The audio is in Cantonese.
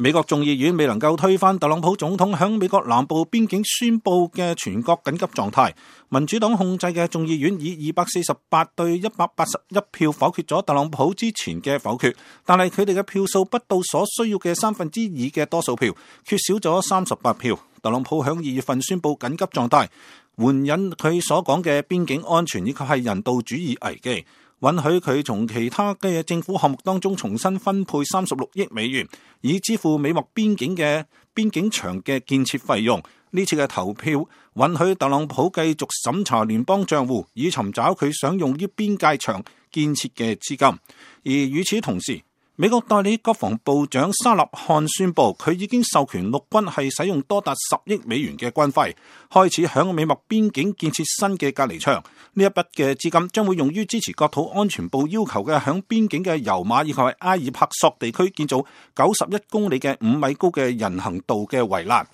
美國眾議院未能夠推翻特朗普總統響美國南部邊境宣布嘅全國緊急狀態，民主黨控制嘅眾議院以248對181票否決咗特朗普之前嘅否決，但係佢哋嘅票數不到所需要嘅2/3嘅多數票，缺少咗38票。特朗普響2月份宣布緊急狀態，援引佢所講嘅邊境安全以及係人道主義危機，允許佢從其他嘅政府項目當中重新分配36億美元，以支付美墨邊境牆嘅建設費用。呢次嘅投票允許特朗普繼續審查聯邦賬戶，以尋找佢想用於邊界牆建設嘅資金。而與此同時，美國代理國防部長沙納漢宣布，佢已經授權陸軍係使用多達10億美元嘅軍費，開始響美墨邊境建設新嘅隔離牆。呢一筆嘅資金將會用於支持國土安全部要求嘅響邊境嘅油馬以及係埃爾帕索地區建造91公里嘅5米高嘅人行道嘅圍欄。